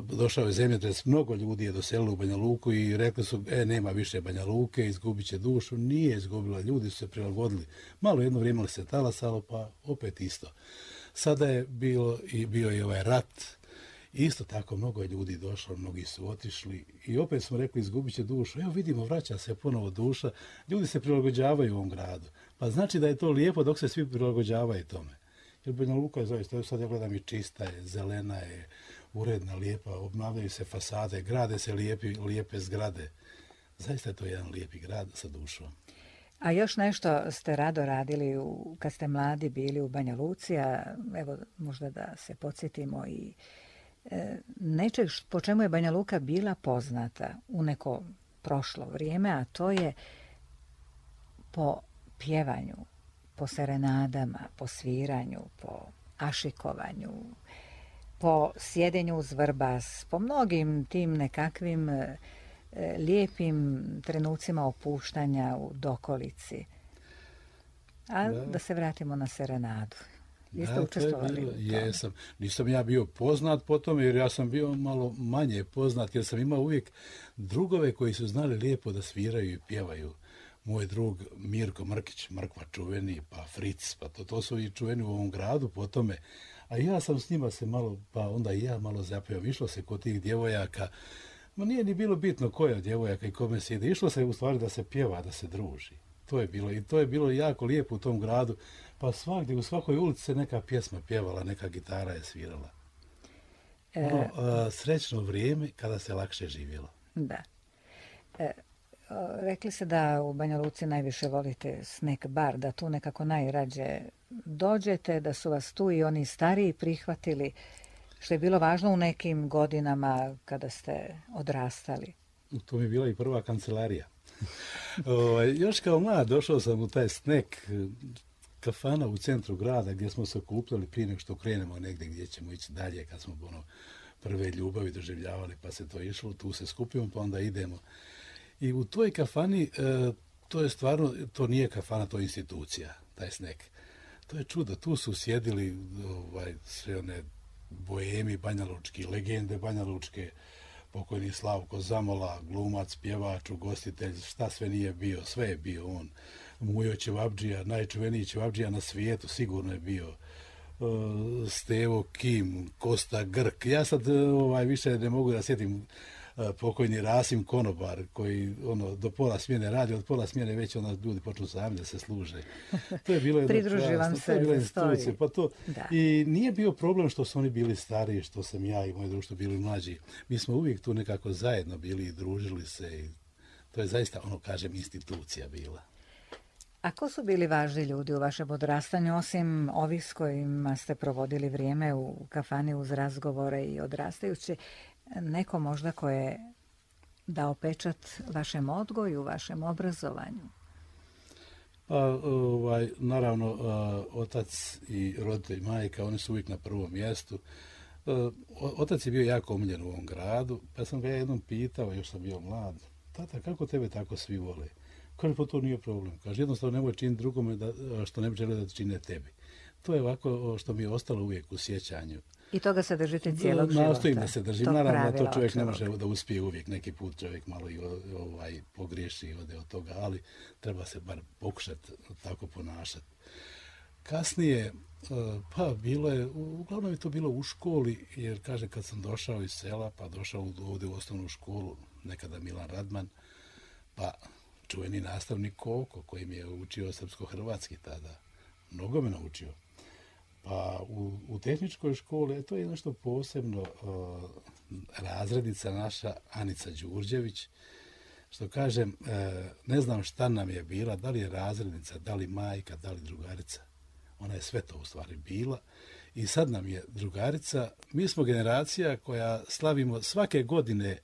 došao je zemljotres, mnogo ljudi je doselilo u Banja Luku i rekli su, nema više Banja Luke, izgubit će dušu. Nije izgubila, ljudi su se prilagodili. Malo jedno vrijeme se talasalo, pa opet isto. Sada je bio i ovaj rat. Isto tako, mnogo je ljudi došlo, mnogi su otišli i opet smo rekli, izgubit će dušu. Evo vidimo, vraća se ponovo duša. Ljudi se prilagođavaju u ovom gradu. Pa znači da je to lijepo dok se svi prilagođavaju tome. Jer Banja Luka je zaista, sad ja gledam, i čista je, zelena je, uredna, lijepa, obnavljaju se fasade, grade se lijepe zgrade. Zaista je to jedan lijepi grad sa dušom. A još nešto ste rado radili kad ste mladi bili u Banja Luci, a evo možda da se podsjetimo i nečeg po čemu je Banja Luka bila poznata u neko prošlo vrijeme, a to je po pjevanju, po serenadama, po sviranju, po ašikovanju, po sjedenju uz vrbas, po mnogim tim nekakvim lijepim trenucima opuštanja u dokolici. A da se vratimo na serenadu. Jeste učestvovali u tome? Jesam. Nisam ja bio poznat po tome, jer ja sam bio malo manje poznat, jer sam imao uvijek drugove koji su znali lijepo da sviraju i pjevaju. Moj drug Mirko Mrkić, Mrkva čuveni, pa Fritz, pa to su i čuveni u ovom gradu po tome. A ja sam s njima se malo, pa onda i ja malo zapeo. Išlo se kod tih djevojaka, ma nije ni bilo bitno koja od djevojaka i kome se ide. Išlo se u stvari da se pjeva, da se druži. To je bilo, i to je bilo jako lijepo u tom gradu. Pa svakdje, u svakoj ulici se neka pjesma pjevala, neka gitara je svirala. Srećno vrijeme kada se lakše živjelo. Da. Rekli ste da u Banja Luci najviše volite snack bar, da tu nekako najrađe dođete, da su vas tu i oni stariji prihvatili, što je bilo važno u nekim godinama kada ste odrastali. To mi je bila i prva kancelarija. Još kao mlad došao sam u taj snack kafana u centru grada gdje smo se okupljali prije nego što krenemo negdje gdje ćemo ići dalje, kad smo prve ljubavi doživljavali, pa se to išlo, tu se skupimo pa onda idemo. I u toj kafani, to je stvarno, to nije kafana, to je institucija, taj snack. To je čudo, tu su sjedili sve one boemi banjalučki, legende banjalučke, pokojni Slavko Zamola, glumac, pjevač, ugostitelj, šta sve nije bio, sve je bio on. Mujo Ćevabdžija, najčuveniji Ćevabdžija na svijetu, sigurno je bio. Stevo Kim, Kosta Grk, ja sad više ne mogu da sjetim pokojni Rasim Konobar, koji do pola smjene radi, od pola smjene već ljudi počnu sami da se služe. To je bilo jedno Pridruži vam se, to je bila stoji. institucija. I nije bio problem što su oni bili stariji, što sam ja i moje društvo bili mlađi. Mi smo uvijek tu nekako zajedno bili i družili se. I to je zaista, kažem, institucija bila. A ko su bili važni ljudi u vašem odrastanju, osim ovih s kojima ste provodili vrijeme u kafani uz razgovore i odrastajući, neko možda ko je dao pečat vašem odgoju, vašem obrazovanju? Naravno, otac i roditelj majka, oni su uvijek na prvom mjestu. Otac je bio jako omiljen u ovom gradu, pa sam ga jednom pitao, još sam bio mlad, tata, kako tebe tako svi vole? Kaže, pa to nije problem. Kaže, jednostavno nemoj činiti drugome što ne bi želio da čine tebi. To je ovako što mi je ostalo uvijek u sjećanju. I toga se držite cijelog života? Nastojim da se držim. Naravno, to čovjek ne može da uspije uvijek. Neki put čovjek malo i pogriješi i ode od toga, ali treba se bar pokušati tako ponašati. Kasnije, uglavnom je to bilo u školi, jer kaže, kad sam došao iz sela, pa došao ovdje u osnovnu školu, nekada Milan Radman, pa čuveni nastavnik Koko, koji mi je učio srpsko-hrvatski tada. Mnogo me naučio. Pa u tehničkoj školi, to je nešto posebno, razrednica naša Anica Đurđević, što kažem, ne znam šta nam je bila, da li je razrednica, da li majka, da li drugarica. Ona je sve to u stvari bila i sad nam je drugarica. Mi smo generacija koja slavimo svake godine,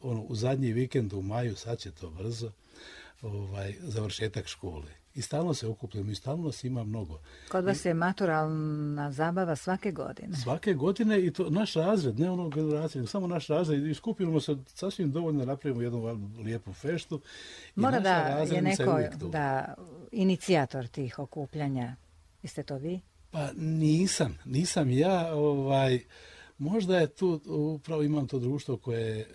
u zadnji vikend u maju, sad će to brzo, završetak škole. I stalno se okupljamo i stalno nas ima mnogo. Kod vas je maturalna zabava svake godine? Svake godine i to naš razred, ne ono generacije, nego samo naš razred i skupimo se sasvim dovoljno da napravimo jednu lijepu feštu. Mora da je neko inicijator tih okupljanja. Jeste to vi? Pa nisam ja. Možda je tu, upravo imam to društvo koje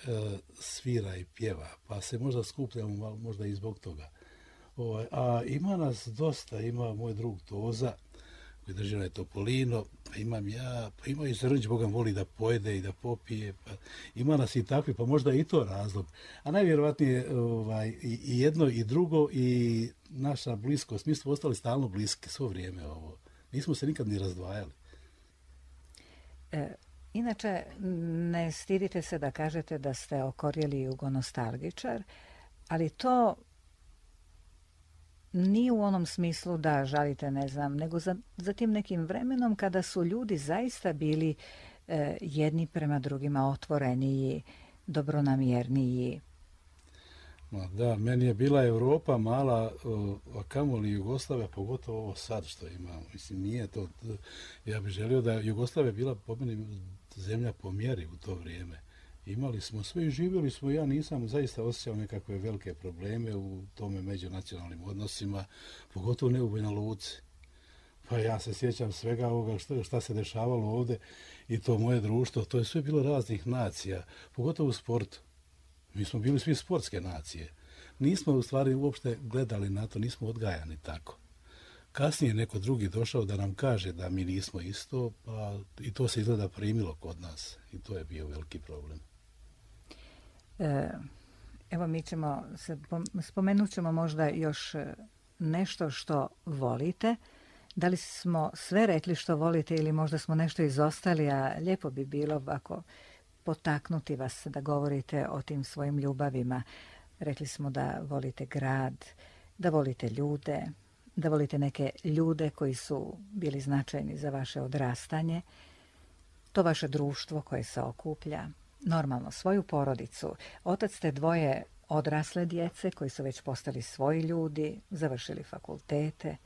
svira i pjeva, pa se možda skupljamo možda i zbog toga. A ima nas dosta, ima moj drug Toza, koji drži onaj Topolino, pa imam ja, pa ima i Zrđ, Boga voli da pojede i da popije, pa ima nas i takvi, pa možda i to razlog. A najvjerovatnije i jedno i drugo i naša bliskost, mi smo ostali stalno bliski svo vrijeme ovo. Nismo se nikad ni razdvajali. Inače, ne stidite se da kažete da ste okorjeli jugonostalgičar, ali to nije u onom smislu da žalite, ne znam, nego za tim nekim vremenom kada su ljudi zaista bili jedni prema drugima otvoreniji, dobronamjerniji. Da, meni je bila Europa mala, a kamoli Jugoslavija, pogotovo ovo sad što imamo. Mislim, nije to, ja bih želio da Jugoslavija bila po meni zemlja po mjeri u to vrijeme. Imali smo sve i živjeli smo, ja nisam zaista osjećao nekakve velike probleme u tome međunacionalnim odnosima, pogotovo ne u Banja Luci. Pa ja se sjećam svega ovoga šta se dešavalo ovdje i to moje društvo, to je sve bilo raznih nacija, pogotovo u sportu. Mi smo bili svi sportske nacije. Nismo u stvari uopšte gledali na to, nismo odgajani tako. Kasnije neko drugi došao da nam kaže da mi nismo isto, pa i to se izgleda primilo kod nas i to je bio veliki problem. Evo mi ćemo spomenut ćemo možda još nešto što volite. Da li smo sve rekli što volite ili možda smo nešto izostali, a lijepo bi bilo ovako potaknuti vas da govorite o tim svojim ljubavima. Rekli smo da volite grad, da volite ljude, da volite neke ljude koji su bili značajni za vaše odrastanje, to vaše društvo koje se okuplja, normalno svoju porodicu. Otac ste dvoje odrasle djece koji su već postali svoji ljudi, završili fakultete,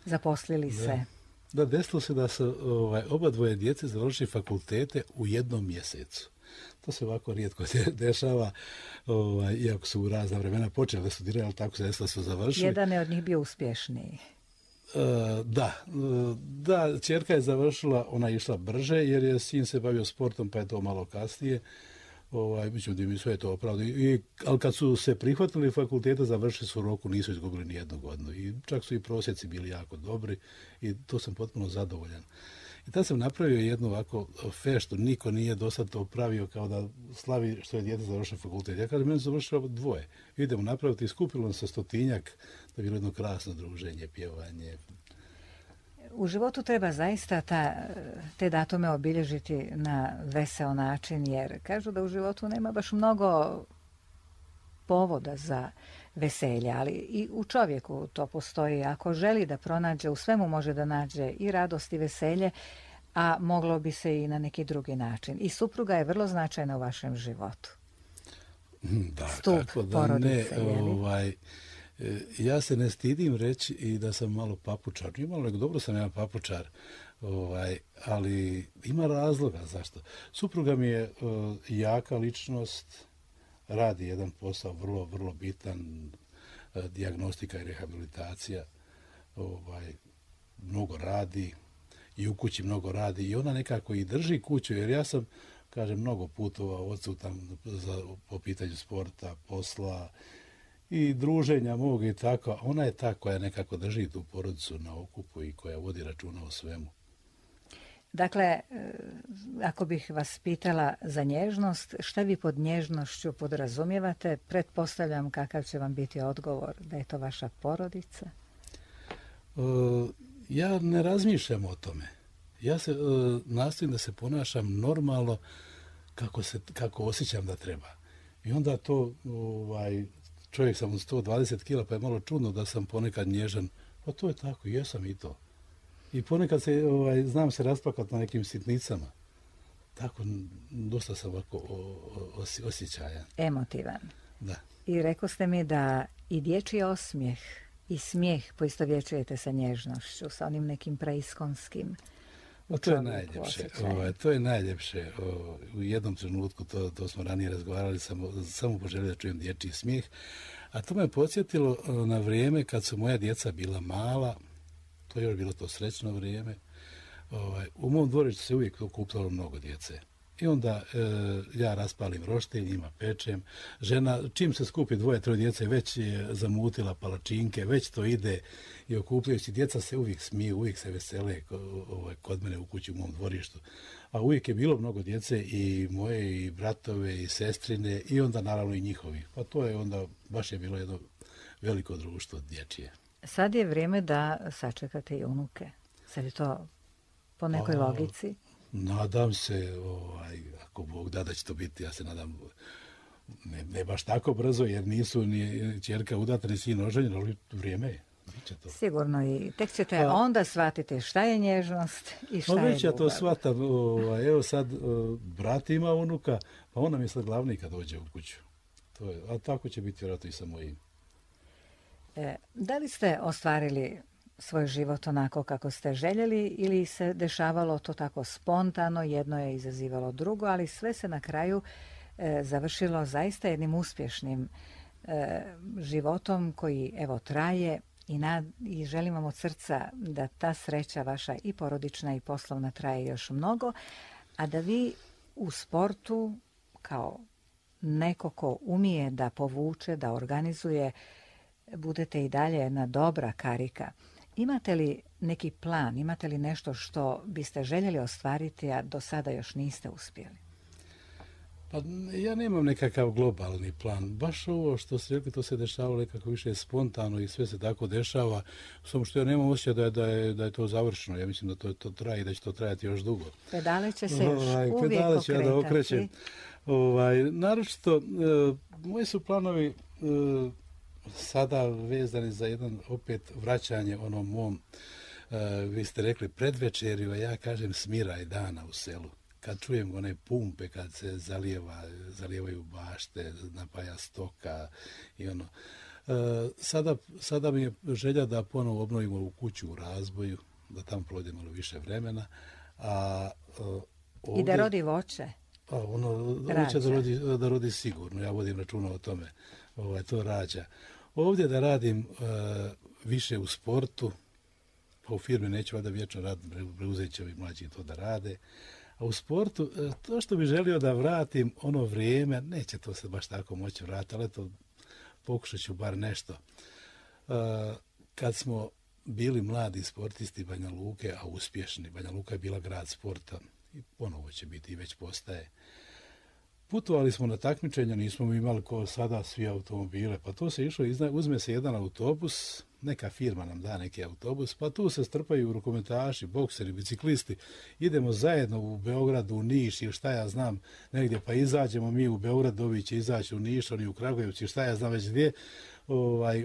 zaposlili se. Da, desilo se da su oba dvoje djece završili fakultete u jednom mjesecu. To se ovako rijetko dešava, iako su u razna vremena počeli da studiraju, ali tako se desilo da su završili. Jedan je od njih bio uspješniji. Da, ćerka je završila, ona je išla brže jer je sin se bavio sportom pa je to malo kasnije. Mislim da mi sve je to opravdano. Ali kad su se prihvatili fakulteta, završili su u roku, nisu izgubili ni jednu godinu. I čak su i prosjeci bili jako dobri i to sam potpuno zadovoljan. I tad sam napravio jednu ovako feštu, niko nije do sad to pravio kao da slavi što je dijete završio fakultet. Ja kažem, meni završilo 2. Idemo napraviti i skupilo nam se 100-tinjak, da je bilo jedno krasno druženje, pjevanje. U životu treba zaista te datume obilježiti na veseo način, jer kažu da u životu nema baš mnogo povoda za veselje, ali i u čovjeku to postoji. Ako želi da pronađe, u svemu može da nađe i radost i veselje, a moglo bi se i na neki drugi način. I supruga je vrlo značajna u vašem životu. Da, Stup kako da porodice, ne, ja se ne stidim reći i da sam malo papučar. Nije malo, nego dobro sam ja papučar, ali ima razloga zašto. Supruga mi je jaka ličnost, radi jedan posao vrlo, vrlo bitan, dijagnostika i rehabilitacija, mnogo radi i u kući mnogo radi i ona nekako i drži kuću, jer ja sam, kažem, mnogo putovao odsutan po pitanju sporta, posla i druženja mog i tako, a ona je ta koja nekako drži tu porodicu na okupu i koja vodi računa o svemu. Dakle, ako bih vas pitala za nježnost, šta vi pod nježnošću podrazumijevate? Pretpostavljam kakav će vam biti odgovor, da je to vaša porodica? Ja ne razmišljam o tome. Ja se nastojim da se ponašam normalno kako osjećam da treba. I onda to, čovjek sam od 120 kila, pa je malo čudno da sam ponekad nježan. Pa to je tako, jesam i to. I ponekad znam se rasplakati na nekim sitnicama. Tako, dosta sam ovako osjećajan. Emotivan. Da. I rekao ste mi da i dječji osmijeh i smijeh poistovjećujete sa nježnošću, sa onim nekim preiskonskim. To je najljepše. To je najljepše. U jednom trenutku, to smo ranije razgovarali, samo poželio da čujem dječji smijeh. A to me podsjetilo na vrijeme kad su moja djeca bila mala. To je još bilo to srećno vrijeme. U mom dvorištu se uvijek okupljalo mnogo djece. I onda ja raspalim roštilj, njima pečem. Žena, čim se skupi 2-3 djece, već je zamutila palačinke, već to ide i okupljajući. Djeca se uvijek smiju, uvijek se vesele kod mene u kući u mom dvorištu. A uvijek je bilo mnogo djece i moje, i bratove, i sestrine, i onda naravno i njihovi. Pa to je onda, baš je bilo jedno veliko društvo dječje. Sad je vrijeme da sačekate i unuke. Sad je to po nekoj logici. Nadam se, ako Bog da će to biti, ja se nadam, ne baš tako brzo, jer nisu ni ćerka udata, ni sin oženjen, ali vrijeme je. To. Sigurno i tek ćete onda shvatiti šta je nježnost i šta je ljubav. Već ja to shvatam. Evo sad, brat ima unuka, pa ona mi sad glavni kad dođe u kuću. A tako će biti vjerojatno i sa mojim. Da li ste ostvarili svoj život onako kako ste željeli ili se dešavalo to tako spontano, jedno je izazivalo drugo, ali sve se na kraju završilo zaista jednim uspješnim životom koji evo traje i želim vam od srca da ta sreća vaša i porodična i poslovna traje još mnogo, a da vi u sportu kao neko ko umije da povuče, da organizuje, budete i dalje jedna dobra karika. Imate li neki plan, imate li nešto što biste željeli ostvariti, a do sada još niste uspjeli? Pa ja nemam nekakav globalni plan. Baš ovo što ste rekli, to se dešavalo nekako više spontano i sve se tako dešava. Samo što ja nemam osjećaj da je to završeno. Ja mislim da to traje i da će to trajati još dugo. Pedale će se još uvijek pedale ću ja da okretati. Naročito, moji su planovi sada vezani za jedan opet vraćanje onom mom, vi ste rekli predvečerju, a ja kažem smiraj dana u selu. Kad čujem one pumpe, kad se zalijevaju bašte, napaja stoka i ono. Sada mi je želja da ponovo obnovimo u kuću u razboju, da tamo provedemo malo više vremena. I da rodi voće. Voće da rodi sigurno, ja vodim računa o tome. To rađa. Ovdje da radim više u sportu, pa u firmi neću valjda vječno raditi, preuzet će ovi mlađi to da rade. A u sportu, to što bi želio da vratim ono vrijeme, neće to se baš tako moći vratiti, ali to pokušat ću bar nešto. Kad smo bili mladi sportisti Banja Luke, a uspješni. Banja Luka je bila grad sporta i ponovo će biti i već postaje. Putovali smo na takmičenja, nismo imali ko sada svi automobile, pa to se išlo, uzme se jedan autobus, neka firma nam da neki autobus, pa tu se strpaju rukometaši, bokseri, biciklisti, idemo zajedno u Beograd, u Niš ili šta ja znam negdje, pa izađemo mi u Beograd, ovi će izaći u Niš, oni u Kragujevcu, šta ja znam već gdje,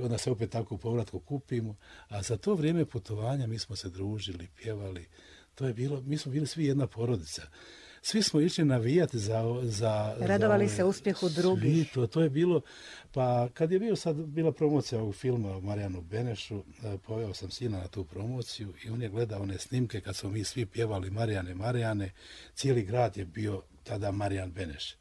onda se opet tako u povratku kupimo, a za to vrijeme putovanja mi smo se družili, pjevali, to je bilo, mi smo bili svi jedna porodica. Svi smo išli navijati za radovali se uspjehu drugih. To je bilo, pa kad je bila promocija ovog filma o Marijanu Benešu, poveo sam sina na tu promociju i on je gledao one snimke kad smo mi svi pjevali Marijane, cijeli grad je bio tada Marijan Beneš.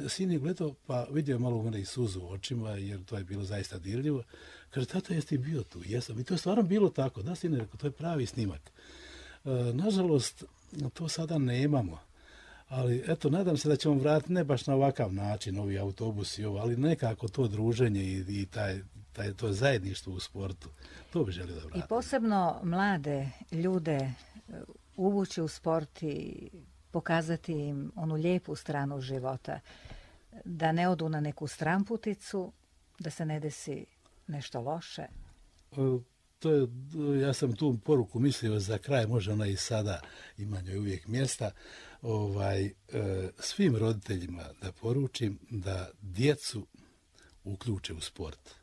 Sin je gledao, pa vidio malo u mene i suzu u očima, jer to je bilo zaista dirljivo. Kaže, tata, jesi ti bio tu? Jesam. I to je stvarno bilo tako. Da, sine, to je pravi snimak. Nažalost, to sada nemamo. Ali eto, nadam se da ćemo vratiti ne baš na ovakav način, ovi autobusi, ali nekako to druženje i to zajedništvo u sportu. To bi želio da vratim. I posebno mlade ljude uvući u sport i pokazati im onu lijepu stranu života. Da ne odu na neku stranputicu, da se ne desi nešto loše. Ja sam tu poruku mislio za kraj, može ona i sada, ima njoj uvijek mjesta, svim roditeljima da poručim da djecu uključe u sport.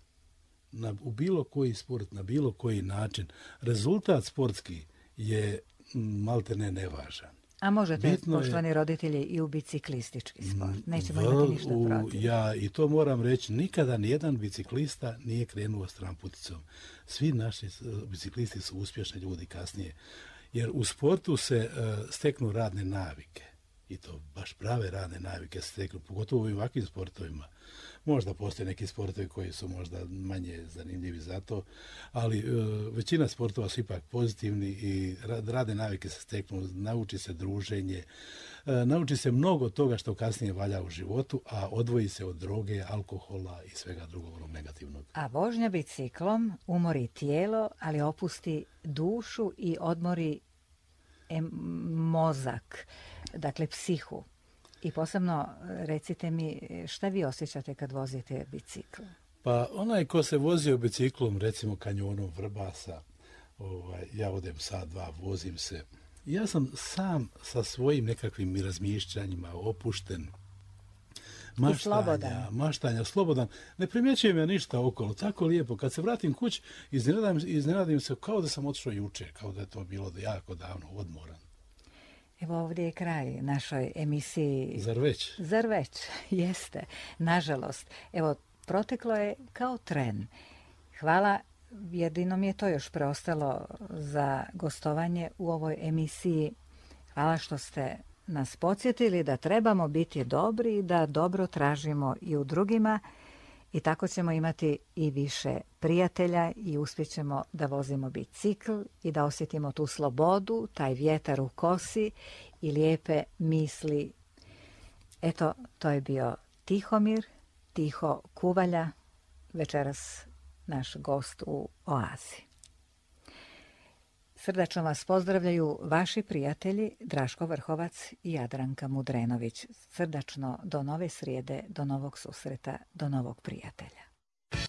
U bilo koji sport, na bilo koji način. Rezultat sportski je maltene nevažan. A možete, poštovani roditelji, i u biciklistički sport. Nećemo imati ništa protiv. Ja i to moram reći, nikada nijedan biciklista nije krenuo stranputicom. Svi naši biciklisti su uspješni ljudi kasnije. Jer u sportu se steknu radne navike. I to baš prave radne navike se steknu, pogotovo u ovakvim sportovima. Možda postoje neki sportovi koji su možda manje zanimljivi za to, ali većina sportova su ipak pozitivni i radne navike se steknu, nauči se druženje, nauči se mnogo toga što kasnije valja u životu, a odvoji se od droge, alkohola i svega drugog onog negativnog. A vožnja biciklom umori tijelo, ali opusti dušu i odmori mozak, dakle psihu. I posebno recite mi šta vi osjećate kad vozite bicikl? Pa onaj ko se vozio biciklom, recimo kanjonom Vrbasa, ja odem sat, dva, vozim se. Ja sam sam sa svojim nekakvim razmišljanjima opušten, maštanja, slobodan. Ne primjećujem ja ništa okolo, tako lijepo. Kad se vratim kući, iznenadim se kao da sam otišao jučer, kao da je to bilo jako davno, odmoran. Evo ovdje je kraj našoj emisiji. Zar već, jeste. Nažalost, evo, proteklo je kao tren. Hvala, jedino mi je to još preostalo za gostovanje u ovoj emisiji. Hvala što ste nas podsjetili da trebamo biti dobri i da dobro tražimo i u drugima i tako ćemo imati i više prijatelja i uspjećemo da vozimo bicikl i da osjetimo tu slobodu, taj vjetar u kosi i lijepe misli. Eto, to je bio Tihomir, Tiho Kuvalja, večeras naš gost u Oazi. Srdačno vas pozdravljaju vaši prijatelji Draško Vrhovac i Jadranka Mudrenović. Srdačno do nove srijede, do novog susreta, do novog prijatelja.